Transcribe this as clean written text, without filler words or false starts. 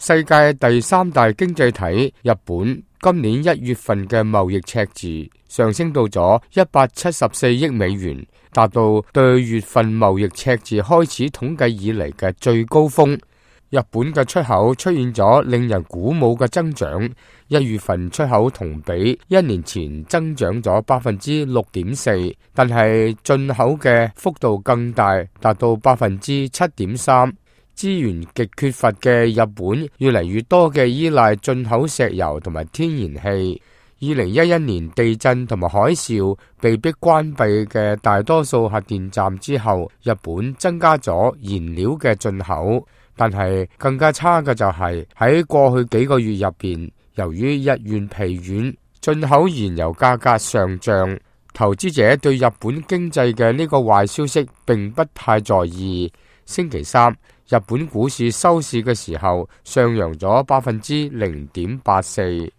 世界第三大經濟體日本今年1月份嘅貿易赤字上升到咗174億美元，達到對月份貿易赤字開始統計以嚟嘅最高峰。日本嘅出口出現咗令人鼓舞嘅增長，1月份出口同比1年前增長咗6.4%，但係進口嘅幅度更大，達到7.3%。資源極缺乏嘅日本越嚟越多嘅依賴進口石油同埋天然氣。2011年地震同埋海嘯被迫關閉嘅大多數核電站之後，日本增加咗燃料嘅進口。但係更加差嘅就係喺過去幾個月入邊，由於日元疲軟，進口燃油價格上漲，投資者對日本經濟嘅呢個壞消息並不太在意。星期三，日本股市收市嘅時候上揚咗0.84%。